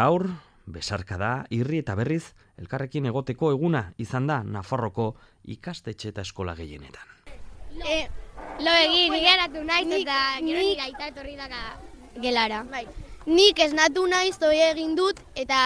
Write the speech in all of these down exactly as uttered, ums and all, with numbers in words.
Gaur, besarkada, irri eta berriz, elkarrekin egoteko eguna izan da Nafarroko ikastetxe eta eskola gehienetan. E, lo egin, geratu naiz eta gero nire aita etorri daka gelara. Bai. Nik esnatu naiz doi egin dut eta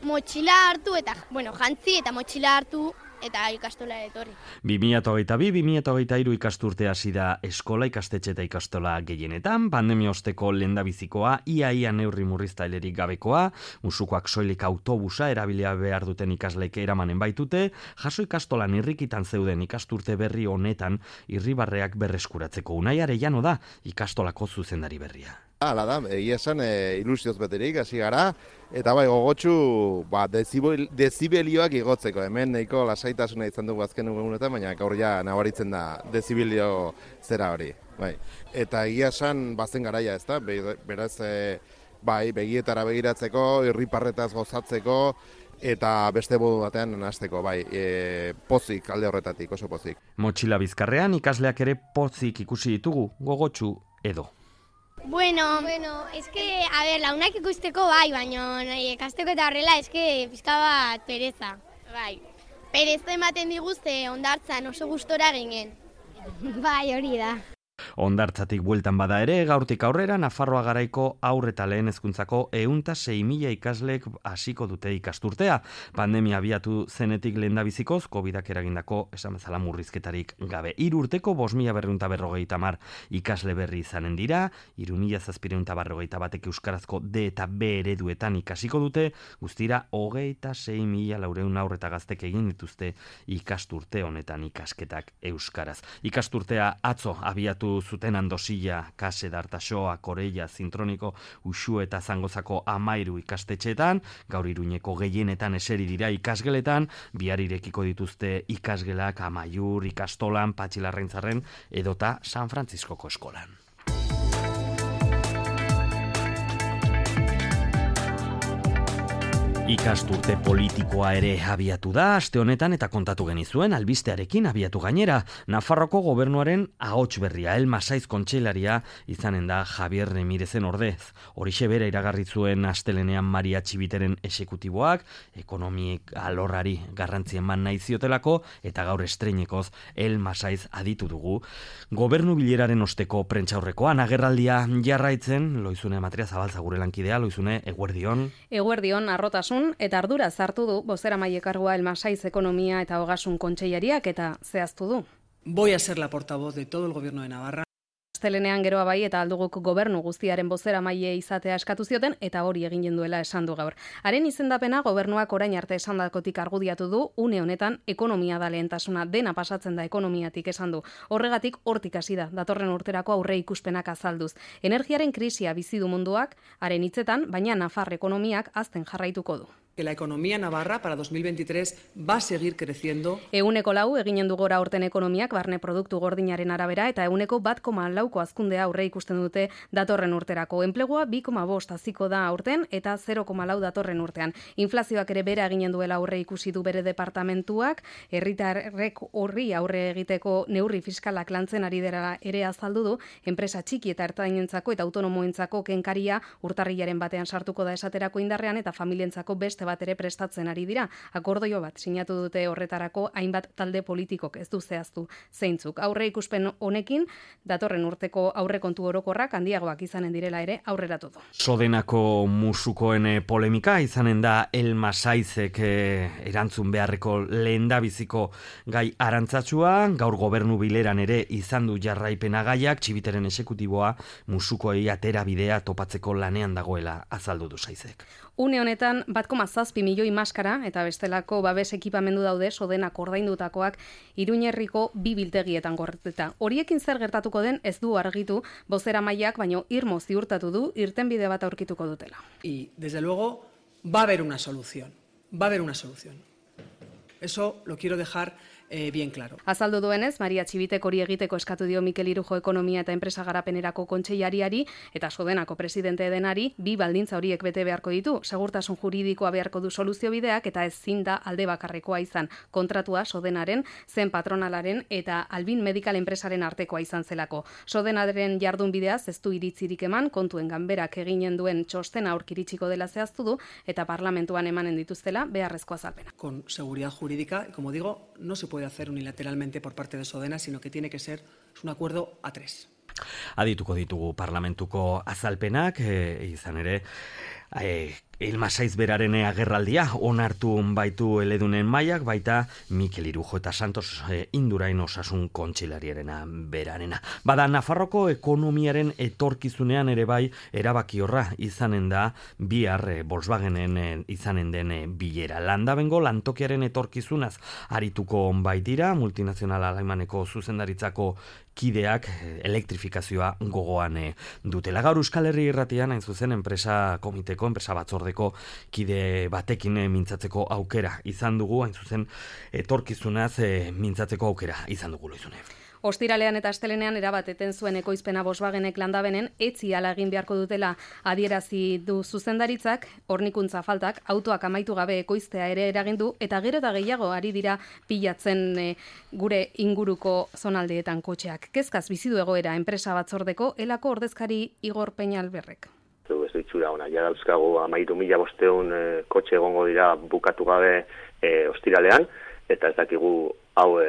motxila hartu eta, bueno, jantzi eta motxila hartu eta ikastola etorri. bi mila hogeita bi bi mila hogeita hiru ikasturte hasi da eskola, ikastetxe eta ikastola gehienetan, pandemia osteko lehendabizikoa, ia-ia neurri murriztailerik gabekoa, musukoak soilik autobusa erabilia behar duten ikasleek eramanen baitute, jaso ikastolan irrikitan zeuden ikasturte berri honetan irribarreak berreskuratzeko. Unai Arellano da ikastolako zuzendari berria. Hala da, egia esan e, ilusioz beterik hasi gara, eta bai gogotsu ba, dezibel, dezibelioak igotzeko, hemen nahiko lasaitasuna izan dugu azken egunetan, baina gaur ja nabaritzen da dezibelio zera hori. Bai. Eta egia esan bazen garaia, ez da, beraz e, bai, begietara begiratzeko, irriparretaz gozatzeko, eta beste modu batean nahasteko, bai, e, pozik alde horretatik, oso pozik. Motxila bizkarrean ikasleak ere pozik ikusi ditugu, gogotsu edo. Bueno, bueno, es que, a ver, launak ikusteko bai, baina ikasteko eta horrela, es que pizka bat pereza. Bai, pereza ematen diguzte ondartzan oso gustora ginen. Bai, hori da. Hondartzatik bueltan bada ere, gaurtik aurrera Nafarroa garaiko haur eta lehen hezkuntzako ehun eta sei mila ikasleek hasiko dute ikasturtea. Pandemia abiatu zenetik lehendabizikoz, covidak eragindako esan bezala murrizketarik gabe. Hiru urteko bost mila berrehun eta berrogeita hamar ikasle berri izanen dira, hiru mila zazpiehun eta berrogeita batek euskarazko D eta B ereduetan ikasiko dute, guztira hogeita sei mila laurehun haur eta gaztek egin dituzte ikasturte honetan ikasketak euskaraz. Ikasturtea atzo abiatu zuten Andosilla, Kase, Dartasoa, Koreia, Zintroniko, Uxu eta Zangozako amairu ikastetxeetan, gaur Iruñeko gehienetan eseri dira ikasgeletan, bihar irekiko dituzte ikasgelak Amaiur, Ikastolan, Patxilarraintzarren edota San Frantziskoko eskolan. Ikasturte politikoa ere abiatu da, aste honetan eta kontatu genizuen albistearekin abiatu gainera. Nafarroko gobernuaren ahots berria, El Masaiz kontseilaria izanen da Javier Remirezen ordez. Horixe bera iragarri zuen astelenean Maria Txibiteren esekutiboak, ekonomik alorrari garrantzi eman nahi ziotelako, eta gaur estreinekoz El Masaiz aditu dugu. Gobernu bileraren osteko prentsaurrekoan agerraldia jarraitzen, Loizune Matria Zabalza gure lankidea, Loizune, eguerdion. Eguerdion, arrotasun eta ardura zartu du bozeramaile kargua El Masaiz Ekonomia eta Ogasun Kontseilariak eta zehaztu du. Voy a ser la portavoz de todo el gobierno de Navarra. Astelenean geroa bai eta alduguk gobernu guztiaren bozeramaile izatea eskatu zioten eta hori egin duela esan du gaur. Haren izendapena gobernuak orain arte esandakotik argudiatu du, une honetan ekonomia da lehentasuna, dena pasatzen da ekonomiatik esan du. Horregatik hortik hasi da datorren urterako aurre ikuspenak azalduz. Energiaren krisia bizi du munduak, haren hitzetan, baina Nafar ekonomiak hazten jarraituko du. Que la economía navarra para dos mil veintitrés va a seguir creciendo. Euneko lau eginen du gora aurten ekonomiak barne produktu gordinaren arabera eta euneko bat koma lauko hazkundea aurre ikusten dute datorren urterako. Enplegua bi koma bost haziko da aurten eta zero koma lau datorren urtean. Inflazioak ere bera eginen duela aurre ikusi du bere departamentuak, herritarrek horri aurre egiteko neurri fiskalak lantzen ari dela ere azaldu du, enpresa txiki eta ertainentzako eta autonomoentzako kenkaria urtarrilaren batean sartuko da esaterako indarrean eta familientzako beste bat ere prestatzen ari dira. Akordio bat sinatu dute horretarako hainbat talde politikok ez du zehaztu zeintzuk. Aurre ikuspen honekin datorren urteko aurrekontu orokorrak handiagoak izanen direla ere aurreratu du. Sodenako musukoen polemika izanen da El Masaizek eh, erantzun beharreko lehendabiziko gai arantzatsua, gaur gobernu bileran ere izan du jarraipena gaiak, Txibiteren esekutiboa musukoei atera bidea topatzeko lanean dagoela azaldu du Saizek. Une honetan bat koma zazpi milioi maskara eta bestelako babes ekipamendu daude Sodenak ordaindutakoak Iruñerriko bi biltegietan gordeta. Horiekin zer gertatuko den ez du argitu bozeramaileak, baino irmo ziurtatu du irtenbide bat aurkituko dutela. Y desde luego va a haber una solución. Va a haber una solución. Eso lo quiero dejar eh, bien claro. Azaldu duenez, Maria Txibitek hori egiteko eskatu dio Mikel Irujo Ekonomia eta Enpresa Garapenerako Kontseilariari eta Sodenako presidente denari bi baldintza horiek bete beharko ditu. Segurtasun juridikoa beharko du soluzio bideak eta ezin da alde bakarrekoa izan. Kontratua Sodenaren, zen patronalaren eta Albin Medical enpresaren artekoa izan zelako. Sodenaren jardun bideaz ez du iritzirik eman, kontuen ganberak eginen duen txostena aurkiritsiko dela zehaztu du eta parlamentuan emanen dituztela beharrezko azalpena. Con seguridad jurídica, y como digo, no se puede hacer unilateralmente por parte de Sodena, sino que tiene que ser un acuerdo a tres. Adituko ditugu parlamentuko azalpenak, e, izan ere, e, Elma Saiz beraren agerraldia onartu baitu eledunen mailak, baita Mikel Irujo eta Santos e, Indurain osasun kontseilariarena berarena. Bada, Nafarroko ekonomiaren etorkizunean ere bai erabaki horra izanen da bihar e, Volkswagenen e, izanen den e, bilera. Landabengo lantokiaren etorkizunaz arituko baitira, multinazional alaimaneko zuzendaritzako kideak elektrifikazioa gogoan e, dutela. Gaur Euskal Herri Irratian, hain zuzen, enpresa komiteko, enpresa batzordeko kide batekin e, mintzatzeko aukera izan dugu, hain zuzen, etorkizunaz e, mintzatzeko aukera izan dugu, Loizune. Ostiralean eta astelenean erabateten zuen ekoizpena Volkswagenek Landabenen etzi ala egin beharko dutela adierazi du zuzendaritzak, hornikuntza faltak autoak amaitu gabe ekoiztea ere eragin du eta gero eta gehiago ari dira pilatzen e, gure inguruko zonaldeetan kotxeak. Kezkaz bizi du egoera enpresa batzordeko elako ordezkari Igor Peñalberrek. Ez ditxura ona, ja dauzkagu amairu mila bosteun e, kotxe egongo dira bukatu gabe e, ostiralean, eta ez dakigu hau e,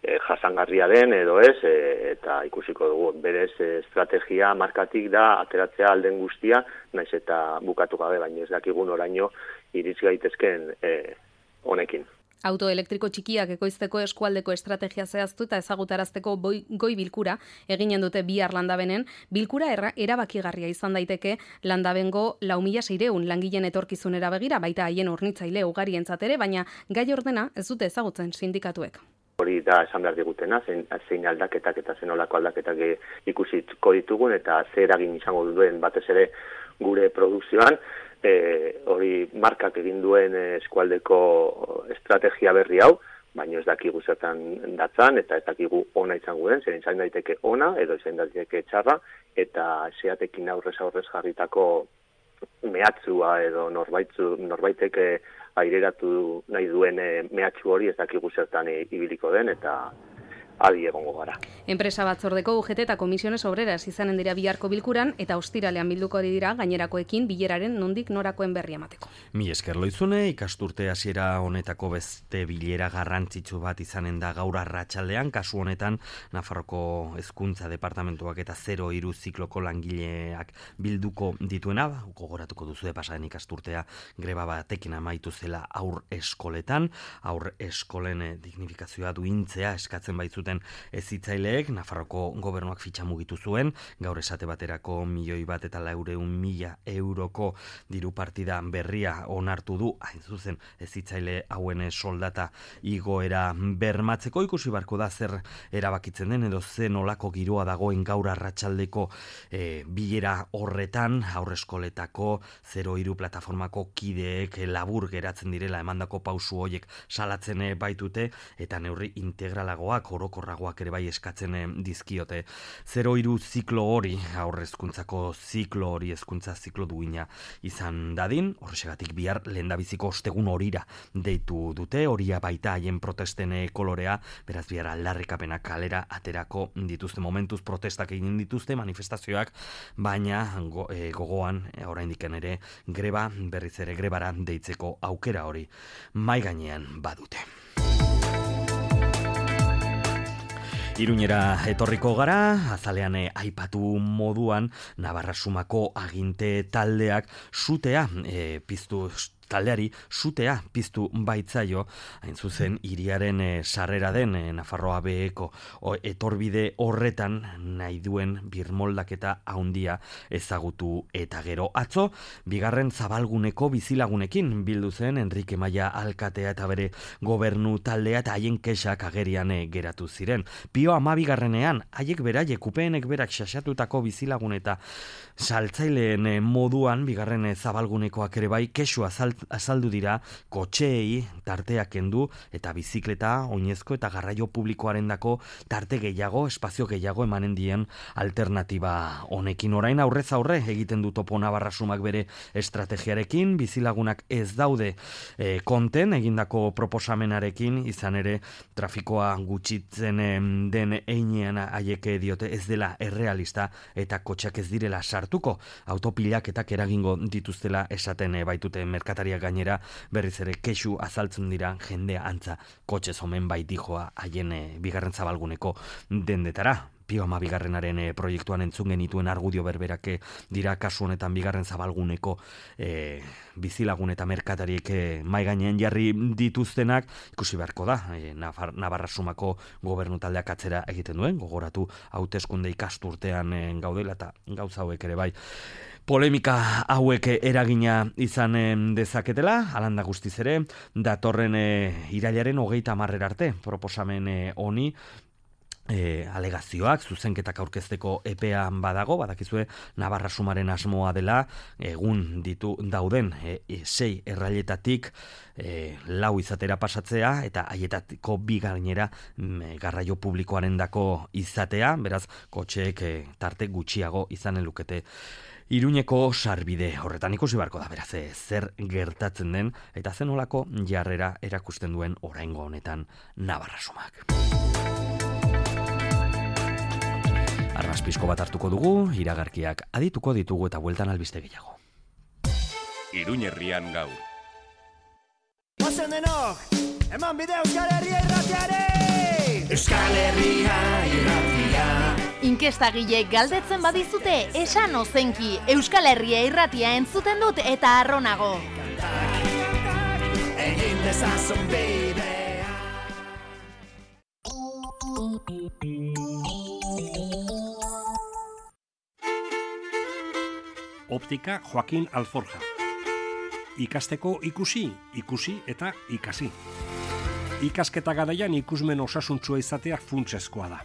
e, jasangarria den edo ez, e, eta ikusiko dugu berez e, estrategia markatik da ateratzea alden guztia, naiz eta bukatu gabe, baina ez dakigun oraino iritz gaitezken e, honekin. Auto elektriko txikiak ekoizteko eskualdeko estrategia zehaztu eta ezagutarazteko boi, goi bilkura eginen dute bihar Landabenen. Bilkura erra, erabakigarria izan daiteke Landabengo lau mila seiehun langileen etorkizunera begira, baita haien hornitzaile ugarientzat ere, baina gai ordena ez dute ezagutzen sindikatuek. Hori da esan behar digutena, zein, zein aldaketak eta zen olako aldaketak ikusiko ditugun eta zer eragin izango duen batez ere gure produkzioan. E, hori markak egin duen eskualdeko estrategia berri hau, baina ez dakigu zertan datzan, eta ez dakigu ona izango den, zer izan daiteke ona, edo izan daiteke txarra, eta zeatekin aurrez aurrez jarritako mehatzua edo norbaitzu, norbaiteke aireratu nahi duen mehatxu hori ez dakigu zertan ibiliko den, eta adi egongo gara. Enpresa batzordeko U G T eta Komisiones Obreras izanen dira biharko bilkuran eta ostiralean bilduko dira gainerakoekin bileraren nondik norakoen berri emateko. Mi esker Loizune, ikasturte hasiera honetako beste bilera garrantzitsu bat izanen da gaur arratsaldean, kasu honetan Nafarroko Hezkuntza Departamentuak eta zero hiru zikloko langileak bilduko dituena, gogoratuko duzu pasaden ikasturtea greba batekin amaitu zela aur eskoletan, aur eskolen dignifikazioa duintzea eskatzen baitzuten hezitzaileek, Nafarroko gobernuak fitxa mugitu zuen, gaur esate baterako milioi bat eta laureun mila euroko diru partida berria onartu du, hain zuzen hezitzaile hauen soldata igoera bermatzeko. Ikusi barko da zer erabakitzen den edo zen olako giroa dagoen gaur arratsaldeko e, bilera horretan, aurreskoletako zero hiru plataformako kideek labur geratzen direla emandako pausu hoiek salatzen baitute eta neurri integralagoak orokorragoak ere bai eskatzen dizkiote. Zero hiru ziklo hori, aurrezkuntzako ziklo hori, hezkuntza ziklo duina izan dadin, horrexegatik bihar lehendabiziko ostegun horira deitu dute, horia baita haien protesten kolorea, beraz bihar aldarrikapenak kalera aterako dituzte, momentuz protestak egin dituzte, manifestazioak, baina go, e, gogoan, e, oraindiken ere, greba, berriz ere grebara deitzeko aukera hori mai gainean badute. Iruñera etorriko gara, azalean eh, aipatu moduan, Navarra Sumako aginte taldeak sutea eh, piztu taldeari sutea piztu baitzaio, hain zuzen hiriaren e, sarrera den e, Nafarroa beheko etorbide horretan nahi duen birmoldaketa handia ezagutu eta gero. Atzo, bigarren zabalguneko bizilagunekin bildu zen Enrique Maia alkatea eta bere gobernu taldea eta haien kexak agerian e, geratu ziren. Pio amabigarrenean, haiek beraiek upeenek berak xaxatutako bizilagun eta saltzaileen e, moduan, bigarren e, zabalgunekoak ere bai, kexua zalt azaldu dira kotxeei tarteak kendu eta bizikleta, oinezko eta garraio publikoarendako tarte gehiago, espazio gehiago emanen dien alternatiba honekin. Orain aurrez aurre egiten du Topo Navarrasumak bere estrategiarekin, bizilagunak ez daude e, konten egindako proposamenarekin, izan ere trafikoa gutxitzen den einean haiek diote ez dela errealista eta kotxeak ez direla sartuko, autopilaketak eragingo dituztela esaten baitute merkatariak gainera, berriz ere kexu azaltzen dira jendea antza kotxez omen baitijoa haien e, bigarren zabalguneko dendetara. Pio ama bigarrenaren e, proiektuan entzun genituen argudio berberak dira kasu honetan bigarren zabalguneko e, bizilagun eta merkatariek e, mai gainean jarri dituztenak, ikusi beharko da, e, Navarrasumako gobernu taldeak atzera egiten duen, gogoratu hauteskunde ikasturtean e, gaudela eta gauza hauek ere bai. Polemika hauek eragina izan dezaketela, alanda guztiz ere, datorren e, irailaren hogeita hamarrera arte proposamen honi, E, alegazioak, zuzenketak aurkezteko epean badago, badakizue Navarrasumaren asmoa dela, egun ditu dauden e, e, sei errailetatik e, lau izatera pasatzea, eta haietako bi gainera e, garraio publikoarendako izatea, beraz, kotxeek e, tarte gutxiago izanen lukete Iruñeko sarbide horretan ikusi beharko da, beraz, e, zer gertatzen den, eta zen olako jarrera erakusten duen oraingo honetan Navarrasumak. Arraspizko bat hartuko dugu, iragarkiak adituko ditugu eta bueltan albiste gehiago. Iruñerrian gaur. Ozen denok, eman bide Euskal Herria irratiare! Euskal Herria irratia. Inkestagilek galdetzen badizute, esan ozenki, Euskal Herria irratia entzuten dut eta arronago. Egin dezazun bidea. Optika Joaquin Alforja. Ikasteko ikusi, ikusi eta ikasi. Ikasketa garaian ikusmen osasuntsua izatea funtsezkoa da.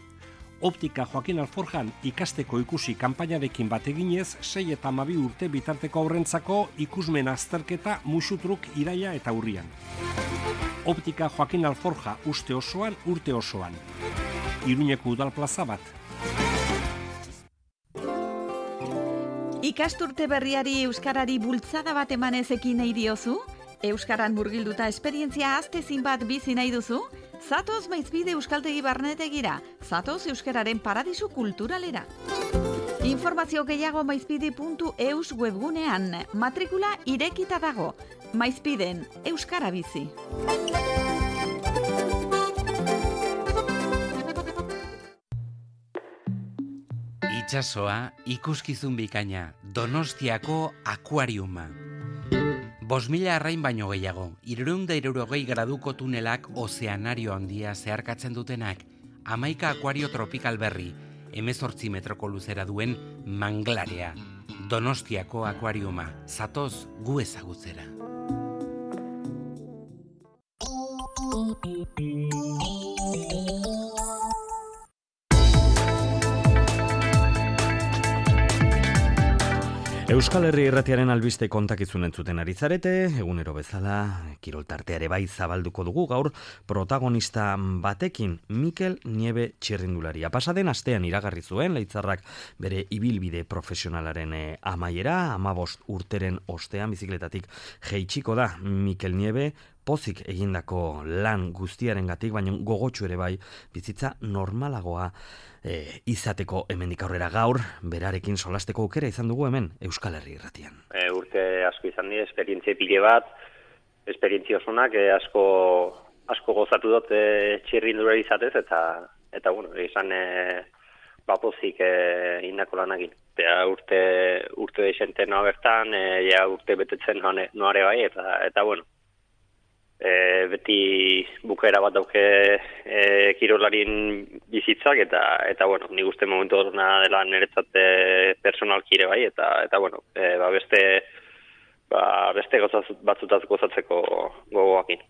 Optika Joaquin Alforjan ikasteko ikusi kanpainarekin bat eginez, sei eta hamabi urte bitarteko aurrentzako ikusmen azterketa musutruk iraila eta urrian. Optika Joaquin Alforja uste osoan, urte osoan. Iruñeko udal plaza bat. Ikasturte berriari euskarari bultzada bat emanez ekin nahi diozu? Euskaran murgilduta esperientzia aztezin bat bizi nahi duzu? Zatoz Maizpide Euskaltegi Barnetegira, zatoz euskararen paradisu kulturalera. Informazio gehiago maizpide puntu eus webgunean, matrikula irekita dago. Maizpiden, euskara bizi. Itxasoa, ikuskizun bikaina, Donostiako akuariuma. Bos mila arrain baino gehiago, hirurehun eta hirurogei graduko tunelak ozeanario handia zeharkatzen dutenak, hamaika akuario tropikal berri, hemezortzi metroko luzera duen Manglarea. Donostiako akuariuma, zatoz gu ezagutzera. Euskal Herri irratiaren albiste kontakizun entzuten ari zarete, egunero bezala, kiroltarteare bai zabalduko dugu gaur protagonista batekin, Mikel Niebe txirrindularia. Pasaden astean iragarri zuen, Leitzarrak bere ibilbide profesionalaren amaiera, hamabost urteren ostean bizikletatik jeitsiko da Mikel Niebe, pozik egindako lan guztiarengatik, baina gogotsu ere bai, bizitza normalagoa e, izateko hemendik aurrera gaur, berarekin solasteko aukera izan dugu hemen Euskal Herri irratian. E, urte asko izan dira, esperientzia pile bat, esperientzia osonak e, asko, asko gozatu dut e, txirrindulari izatez, eta, eta bueno, izan e, bapozik e, indako lanakin. Eta urte, urte desente noa bertan, e, ja urte betetzen noare bai, eta, eta bueno, E, beti bukaera bat dauke e, kirolarien bizitzak eta eta bueno, nik uste momentu horrena dela niretzat personalki ere bai eta eta bueno, e, ba beste ba, beste batzutaz gozatzeko gogoakin.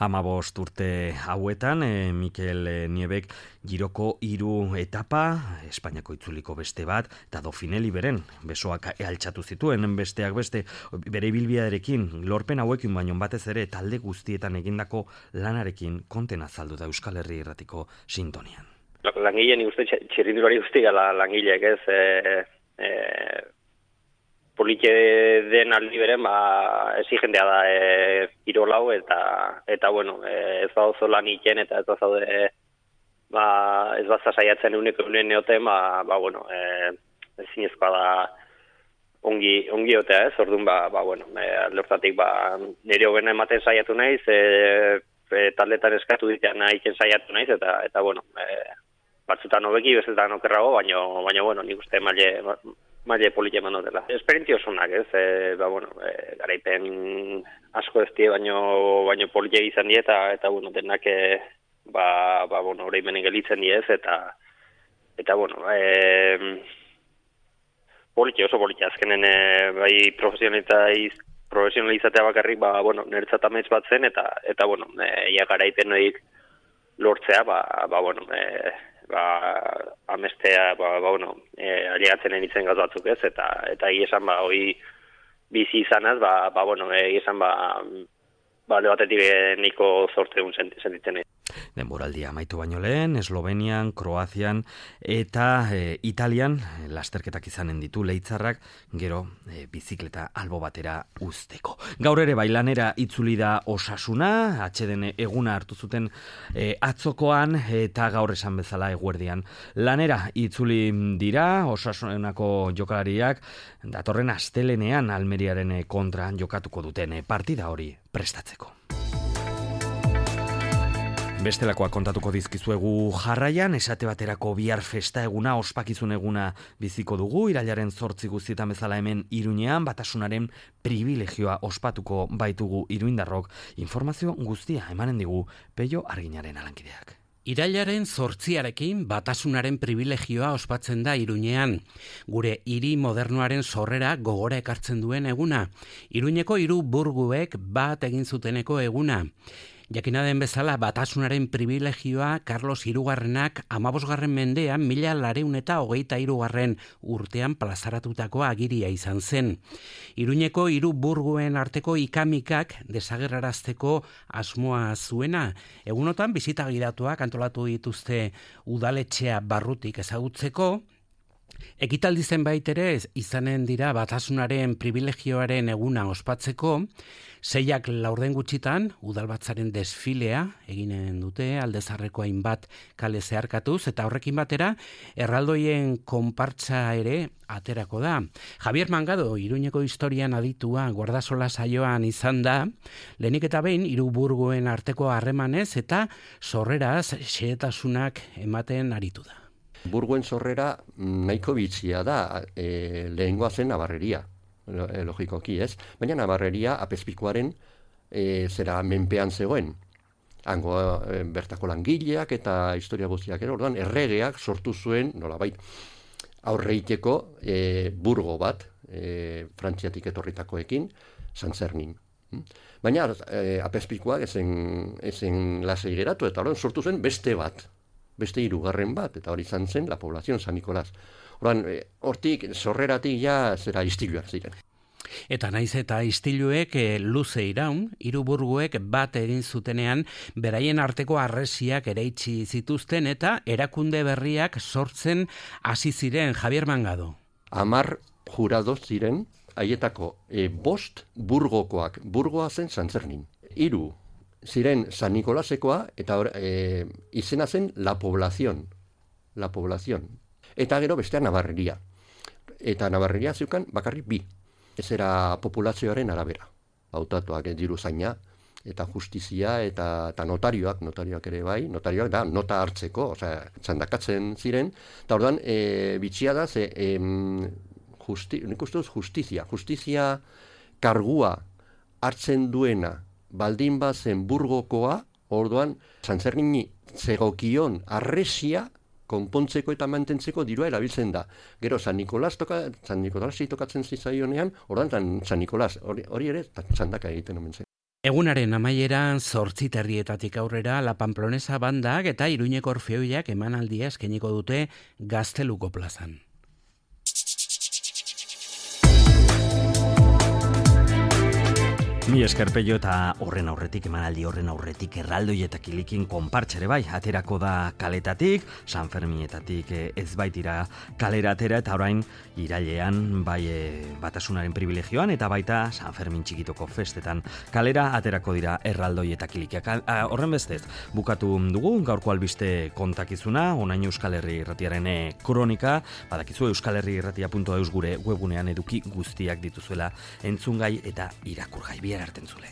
Hamabost urte hauetan, e, Mikel Niebek giroko hiru etapa, Espainiako itzuliko beste bat, eta Dauphineli beren, besoak altxatu zituen, besteak beste, bere ibilbidearekin, lorpen hauekin baino batez ere, talde guztietan egindako lanarekin konten azaldu da Euskal Herri Irratiko sintonian. Langileen ikuste txirrindulari guzti gala langileek ez, e, e, polite den aldi beren, ba, exigentea da e, irolau, eta, eta bueno, e, ez bauzo lan iten, eta ez bazaude, ba, ez baza saiatzen euneko eunen neoten, ba, ba, bueno, e, ezinezkoa da ongi, ongi otea, ez, orduan, ba, ba, bueno, e, aldeortatik, ba, nire hogena ematen saiatu naiz, e, e, taldetan eskatu ditan nahiken saiatu naiz, eta, eta bueno, e, batzutan hobeki, bezetan okerrago, baina, baina, bueno, nik uste maile, maile polite eman dutela. Esperientzia osunak, ez, e, ba, bueno, e, garaipen asko ez die, baino, baino polite izan die, eta, eta, bueno, denak, e, ba, ba, bueno, hori menen gelitzen die, ez, eta, eta, bueno, e, polite, oso polite, azkenen, e, bai, profesionaliz, profesionalizatea bakarrik, ba, bueno, nertzat amets bat zen, eta, eta, bueno, e, ia garaipen horiek lortzea, ba, ba, bueno, e, ba, amestea, ba, ba, bueno, e, aliatzen enitzen gaz batzuk ez, eta, eta esan, ba, hoi bizi izanaz, ba, ba, bueno, esan, ba, ba, lebatetik niko zorte un sentitzen egin. Denboraldia amaitu baino lehen, Eslovenian, Kroazian eta e, Italian lasterketak izanen ditu Leitzarrak, gero e, bizikleta albo batera uzteko. Gaur ere bailanera itzuli da Osasuna, atxeden eguna hartu zuten e, atzokoan, eta gaur esan bezala eguerdian lanera itzuli dira Osasunako jokalariak, datorren astelenean Almeriaren kontra jokatuko duten partida hori prestatzeko. Bestelakoa kontatuko dizkizuegu jarraian, esate baterako bihar festa eguna, ospakizun eguna biziko dugu, irailaren zortzi guztietan bezala hemen Iruñean, Batasunaren privilegioa ospatuko baitugu iruindarrok, informazio guztia emanen digu Peio Arginaren alankideak. Irailaren zortziarekin Batasunaren privilegioa ospatzen da Iruñean. Gure hiri modernoaren sorrera gogora ekartzen duen eguna. Iruñeko hiru burguek bat egin zuteneko eguna. Jakina den bezala, Batasunaren privilegioa Carlos hirugarrenak hamabosgarren mendean mila lareun eta hogeita hirugarren urtean plazaratutako agiria izan zen. Iruñeko hiru burguen arteko ikamikak desagerrarazteko asmoa zuena. Egunotan bizita gidatuak antolatu dituzte udaletxea barrutik ezagutzeko. Ekitaldi zenbait ere izanen dira Batasunaren privilegioaren eguna ospatzeko, seiak laurden gutxitan udalbatzaren desfilea eginen dute Aldezarreko hainbat kale zeharkatuz, eta horrekin batera erraldoien konpartza ere aterako da. Javier Mangado, Iruñeko historian aditua Guardasola saioan izan da, lehenik eta behin hiru burguen arteko harremanez eta sorreraz xehetasunak ematen aritu da. Burguen sorrera nahiko bitxia da, e, lehengoa zen Nabarreria, logikoki ez, baina Nabarreria apezpikuaren e, zera menpean zegoen. Hango e, bertako langileak eta historia guztiak ere, orduan erregeak sortu zuen, nolabait, aurreiteko e, burgo bat, e, Frantziatik etorritakoekin, Santzernin. Baina e, apezpikuak ezen, ezen lasei geratu, eta orduan sortu zen beste bat. Beste hirugarren bat, eta hori izan zen, la población San Nicolás. Horan, hortik, sorreratik ja zera istiluak ziren. Eta naiz eta istiluek e, luze iraun, hiru burguek bat egin zutenean, beraien arteko harresiak eraitsi zituzten eta erakunde berriak sortzen hasi ziren. Javier Mangado. Amar jurado ziren, haietako e, bost burgokoak, burgoa zen Santzernin. Hiru ziren San Nikolasekoa, eta e, izena zen La Población. La Población. Eta gero bestea Nabarreria. Eta Nabarreria zeukan bakarrik bi. Ez era populazioaren arabera. Hautatuak diru zaina, eta justizia, eta, eta notarioak, notarioak ere bai, notarioak da, nota hartzeko, osea, txandakatzen ziren, eta orduan, e, bitxia da, ze, e, justi, nik uste duz justizia, justizia kargua hartzen duena, baldin bazen burgokoa, orduan, Santzernin zegokion arresia konpontzeko eta mantentzeko dirua erabiltzen da. Gero San Nikolas toka, San Nikolasi tokatzen zizaionean, ordan San Nikolas, hori, hori ere txandaka egiten omen zen. Egunaren amaieran zortzi terrietatik aurrera La Pamplonesa bandak eta Iruñeko Orfeoiak emanaldia eskainiko dute Gazteluko plazan. Mi eskerpeio eta horren aurretik, emanaldi horren aurretik erraldoi eta kilikin konpartxere bai, aterako da kaletatik, San Fermietatik ez baitira kalera atera eta orain irailean bai e, batasunaren privilegioan eta baita San Fermin txikitoko festetan kalera aterako dira erraldoi eta kilikiak. Horren bestez, bukatu dugu gaurko albiste kontakizuna, onaino Euskal Herri Irratiaren kronika, badakizu euskalherriirratia puntu eus gure webunean eduki guztiak dituzuela entzungai eta irakurgai. Bihar arte entzule.